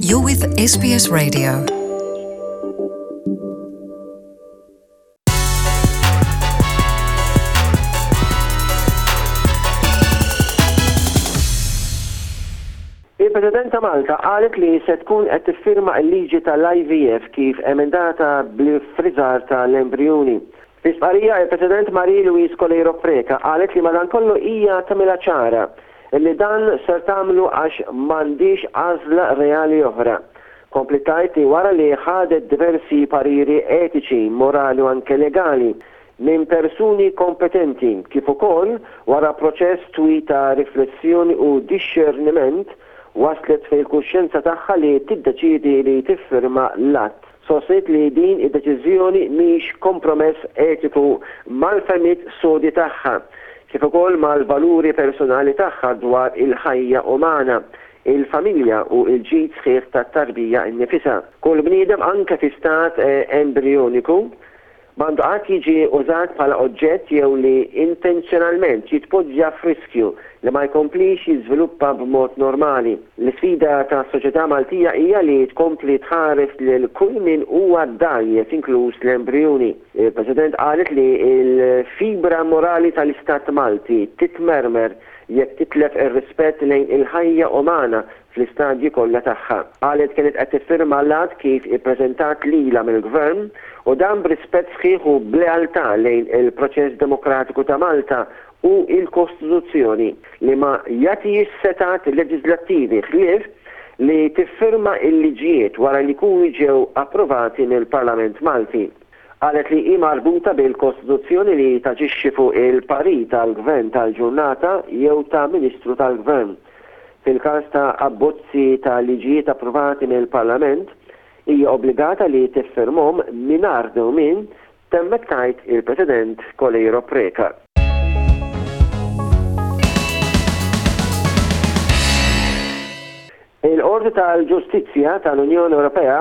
You're with SBS Radio. Il-President ta' Malta qalet li se tkun qed tiffirma l-liġi tal-IVF kif emendata bl-iffriżar tal-embrijuni. Fi stqarrija, il-President Marie Louise Coleiro Preca qalet li madankollu hija tagħmilha ċara li dan ser tagħmlu għax m'għandhiex għażla reali oħra. Kompliet tgħid li wara li ħadet diversi pariri etiċi, morali u anke legali minn persuni kompetenti kif ukoll wara proċess twil ta' riflessjoni u dixxerniment waslet fil-kuxjenza tagħha li tiddeċiedi li tiffirma l-att. Sostniet li din id-deċiżjoni mhix kompromess etiku mal-fehmiet sodi tagħha, kif ukoll mal-valuri personali tagħha dwar il-ħajja umana, il-familja u l-ġid sħiħ tat-tarbija nnifisha. Kull bniedem anke fi stat embrijoniku, M'għandu qatt jiġi użat bħala oġġett jew li intenzjonalment jitpoġġa f'riskju li ma jkomplix jiżviluppa b'mod normali. L-isfida tas-soċjetà Maltija hija li tkompli tħares lil kull min huwa dgħajjef inkluż l-embrijuni. Il-President qalet li l-fibra morali tal-Istat Malti titmermer jekk titlef ir-rispett lejn il-ħajja umana fl-istadji kollha tagħha. Qalet kienet qed tiffirma l-att kif ippreżentat lilha mill-Gvern u dan b'rispett sħiħ u b'lealtà lejn il-proċess demokratiku ta' Malta u l-Kostituzzjoni li ma jagħtihiex setgħat leġiżlattivi ħlief li tiffirma l-liġijiet wara li jkunu ġew approvati mill-Parlament Malti. Qalet li hi marbuta bil-Kostituzzjoni li taġixxi fuq il-parir tal-Gvern tal-ġurnata jew ta' Ministru tal-Gvern. Fil-każ ta' abbozzi ta' liġijiet approvati mill-Parlament, hija obbligata li tiffirmhom mingħajr dewmien, temmet tgħid il-President Coleiro Preca. Il-Qorti tal-Ġustizzja tal-Unjoni Ewropea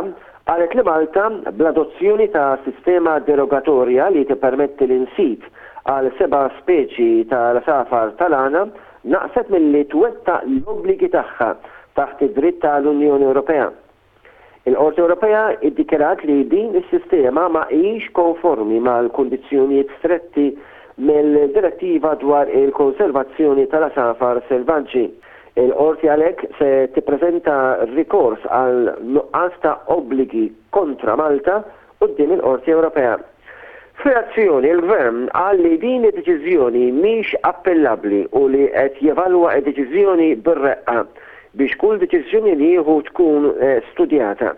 qalet li Malta, bl-adozzjoni ta' sistema derogatorja li tippermetti l-insib għal seba' speċi tal-għasafar tal-għana, naqset milli twettaq l-obbligi tagħha taħt id-dritt tal-Unjoni Ewropea. Il-Qorti Ewropea ddikjarat li din is-sistema ma hijiex konformi mal-kundizzjonijiet stretti mill-Direttiva dwar il-Konservazzjoni tal-Għasafar Selvaġġi. Il-Qorti għalhekk se tippreżenta rikors għal nuqqas ta' obbligi kontra Malta quddiem il-Qorti Ewropea. F'reazzjoni, il-Gvern qal li din id-deċiżjoni mhix appellabbli u li qed jevalwa d-deċiżjoni bir-reqqa biex kull deċiżjoni li jieħu tkun studjata.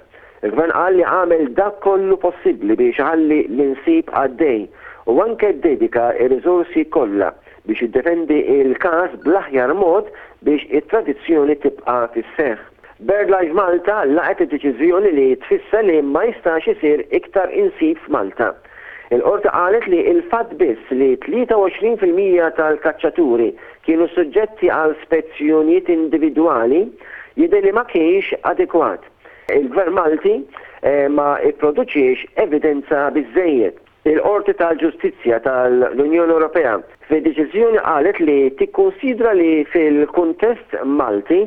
Il-Gvern qal li għamel dak kollu possibbli biex iħalli l-insib għaddej u anke ddedika r-riżorsi kollha biex jiddefendi l-każ bl-aħjar mod biex it-tradizzjoni tibqa' fis-seħħ. BirdLife Malta laqgħet id-deċiżjoni li tfisser li ma jistax isir iktar insib f'Malta. Il-Qorti qalet li l-fatt biss li 23% tal-kaċċaturi kienu suġġetti għal spezzjonijiet individwali jidher li ma kienx adekwat. Il-Gvern Malti ma pproduċiex evidenza biżżejjed. Il-Qorti tal-Ġustizzja tal-Unjoni Ewropea fid-deċiżjoni qalet li tikkunsidra li fil-kuntest Malti,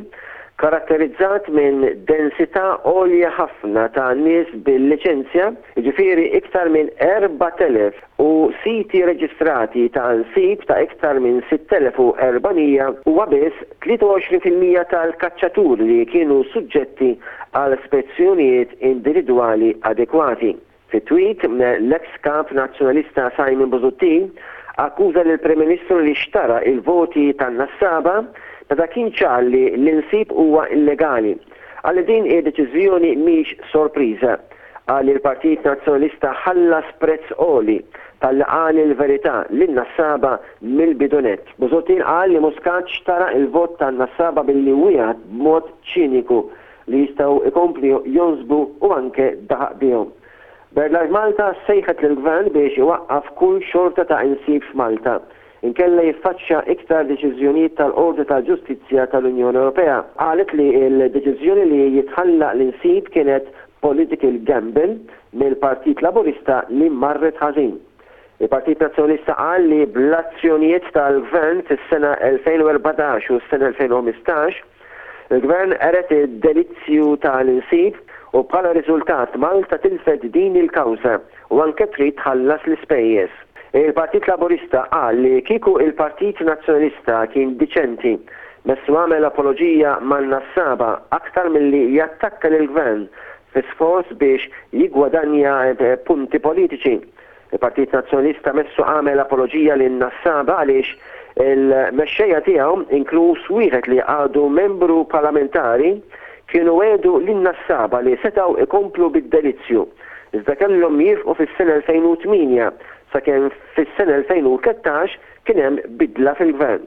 karatterizzat minn densità għolja ħafna ta' nies bil-liċenzja, jiġifieri iktar minn 4,000, u siti reġistrati ta' nsib ta' iktar minn 6,400, huwa biss 23% tal-kaċċaturi li kienu suġġetti għal spezzjonijiet individwali adekwati. Fi tweet, l-eks Kap Nazzjonalista Simon Busuttil akkuża lill-Prim Ministru li xtara il-voti tan-nassaba meta kien ċar li l-insib huwa illegali. Qal li din id-deċiżjoni mhix sorpriża. Qal li l-Partit Nazzjonalista ħallas prezz għoli talli qal il-verità lin-nassaba mill-bidu nett. Busuttil qal li Muscat xtara il-vot tan-nassaba billi wiegħed b'mod ċiniku li jistgħu jkomplu jonsbu u anke daħaq bihom. BirdLife Malta sejħet lill-Gvern biex iwaqqaf kull xorta ta' insib f'Malta, inkella jiffaċċja iktar deċiżjonijiet tal-Qorti tal-Ġustizzja tal-Unjoni Ewropea. Qalet li l-deċiżjoni li jitħalla l-insib kienet political gamble mill-Partit Laburista li marret ħażin. Il-Partit Nazzjonalista qal li bl-azzjonijiet tal-Gvern fis-sena 2014 u s-sena 2015, Il-Gvern qered id-delizzju tal-insib u bħala riżultat Malta tilfet din il-kawża u anke trid tħallas l-ispejjeż. Il-Partit Laburista qal li kieku il-Partit Nazzjonalista kien diċenti messu għamel apoloġija man-nassaba aktar milli jattakka lill-Gvern fi sforz biex jiggwadanja punti politiċi. Il-Partit Nazzjonalista messu għamel apoloġija lin-nassaba għaliex il-mexxejja tiegħu, inkluż wieħed li għadu membru parlamentari, kienu wegħdu lin-nassaba li setgħu jkomplu bid-delizzju, iżda kellhom jiefqu fis-sena 2008 sakemm fis-sena 2013 kien hemm bidla fil-Gvern.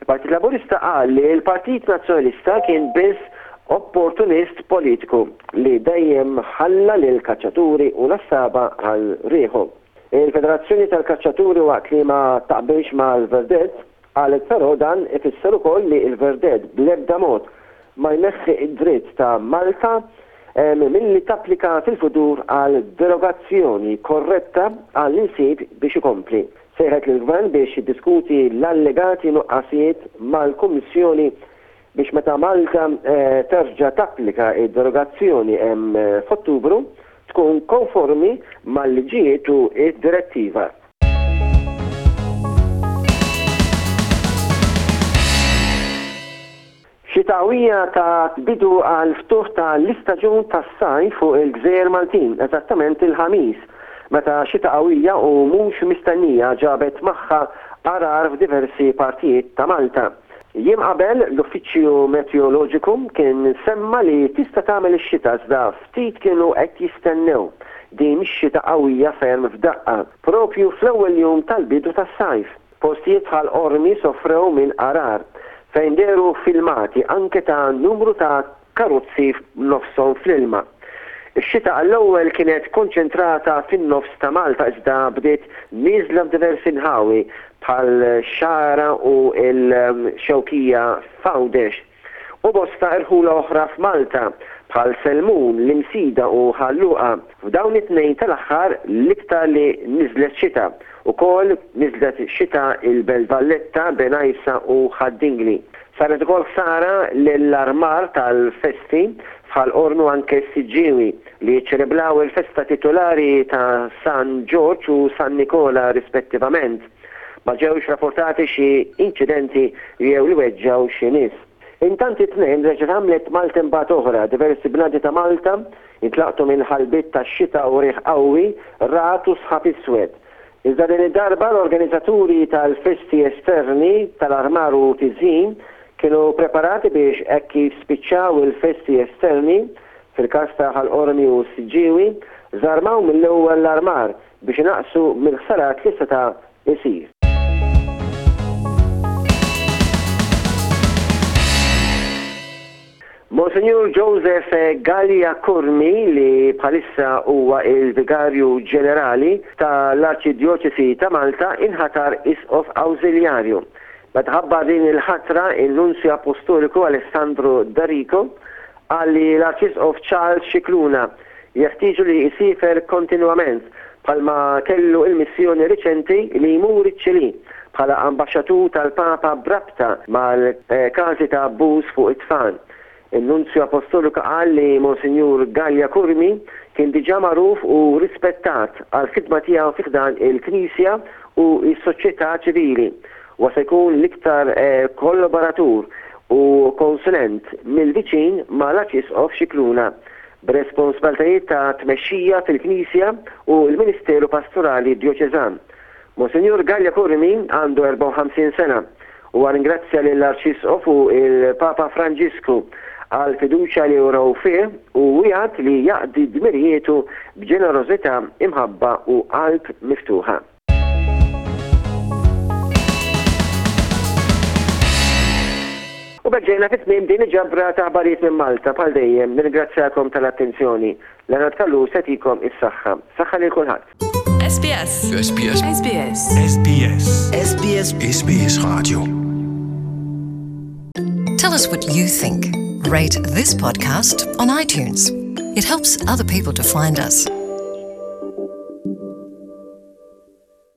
Il-Partit Laburista qal li l-Partit Nazzjonalista kien biss opportunist politiku li dejjem ħalla lill-kaċċaturi u nassaba għal riħu. Il-Federazzjoni tal-Kaċċaturi waqt li ma taqbilx mal-verdett, qalet però dan ifisser ukoll li l-verdett bl-ebda mod ma jneħħi d-dritt ta' Malta milli tapplika fil-futur għal derogazzjoni korretta għall-insib biex ikompli. Sejħet lill-Gvern biex jiddiskuti l-allegati nuqqasijiet mal-Kummissjoni biex meta Malta terġa' tapplika d-derogazzjoni f'Ottubru tkun konformi mal-liġijiet u d-direttiva. Xita qawwija tat bidu għall-ftuħ ta' l-istaġun tas-sajf fuq il-gżejjer Maltin, eżattament il-Ħamis, meta xita qawwija u mhux mistennija ġabet magħha għargħar f'diversi partijiet ta' Malta. Jiem qabel, l-Uffiċċju Meteoroloġiku kien semma li tista' tagħmel ix-xita iżda ftit kienu qed jistennew din ix-xita qawwija ferm f'daqqa, proprju fl-ewwel jum tal-bidu tas-sajf. Postijiet bħal Qormi sofrew minn għargħar, fejn dehru filmati anke ta' numru ta' karozzi b'nofshom fl-ilma. Ix-xita għall-ewwel kienet konċentrata fin-nofs ta' Malta iżda bdiet nieżla f'diversi nħawi bħal Xagħra u l-Xewkija f'Għawdex. U bosta irħula oħra f'Malta, bħal Selmun, l-Imsida u Ħal Luqa. F'dawn it-tnejn tal-aħħar l-iktar li niżlet xita. Ukoll niżlet xita il-Belt Valletta, Bengħajsa u Ħad-Dingli. Saret ukoll ħsara lill-armar tal-festi f'Ħal Qormi u anke s-Siġġiewi li jiċċeleblaw il-festa titulari ta' San Ġorġ u San Nikola rispettivament. Ma ġewx rapportati xi inċidenti jew li weġġgħu xi nies. Intant it-Tnejn reġgħet għamlet maltempata oħra, diversi bnadi ta' Malta intlaqtu minn ħalbiet ta' xita u riħ qawwi, ragħad u sħab iswed. Iżda din id-darba l-organizzaturi tal-festi esterni tal-armar u tiżjin kienu preparati biex hekk kif spiċċaw il-festi esterni, fil-każ ta' Ħal Qormi u s-Siġġiewi, żarmaw mill-ewwel l-armar biex inaqqsu mill-ħsarat li seta' jsir. Monsinjur Joseph Galea Curmi li bħalissa huwa il-Vigarju Ġenerali ta' l-Arċidjoċesi ta' Malta inħatar Isqof Awżiljarju. Meta ħabbar din il-ħatra in-Nunzju Appostoliku Alessandro D'Arrico Qal li l-Arċisqof Charles Scicluna jeħtieġu li jsiefer kontinwament bħalma kellu l-missjoni riċenti li jmur iċ-Ċilì bħala ambaxxatur tal-Papa b'rabta mal-każi ta' abbuż fuq it-tfal. In-Nunzju Appostoliku qal li Monsinjur Galea Curmi kien diġà magħruf u rispettat għall-ħidma tiegħu fi ħdan il-Knisja u s-soċjetà ċivili. Huwa se jkun l-iktar kollaboratur u konsulent mill-viċin ma' l-Arċisqof Scicluna, b'responsbaltajiet ta' tmexxija fil-Knisja u l-ministeru pastorali djoċeżan. Monsinjur Galea Curmi għandu 54 sena. Huwa ringrazzja lill-Arċisqof u l-Papa Franġisku għall-fiduċja li wrew fih u wiegħed li jaqdi dmirijietu b'ġenerożità, imħabba u qalb miftuħa. U b'hekk ġejna fi tmiem din il-ġabra ta' aħbarijiet minn Malta. Bħal dejjem, nirringrazzjakom tal-attenzjoni. Leonard Callus jagħtikom is-saħħa. Saħħa lil kulħadd. SBS. SBS. SBS. SBS. SBS. SBS Radio. Tell us what you think. Rate this podcast on iTunes. It helps other people to find us.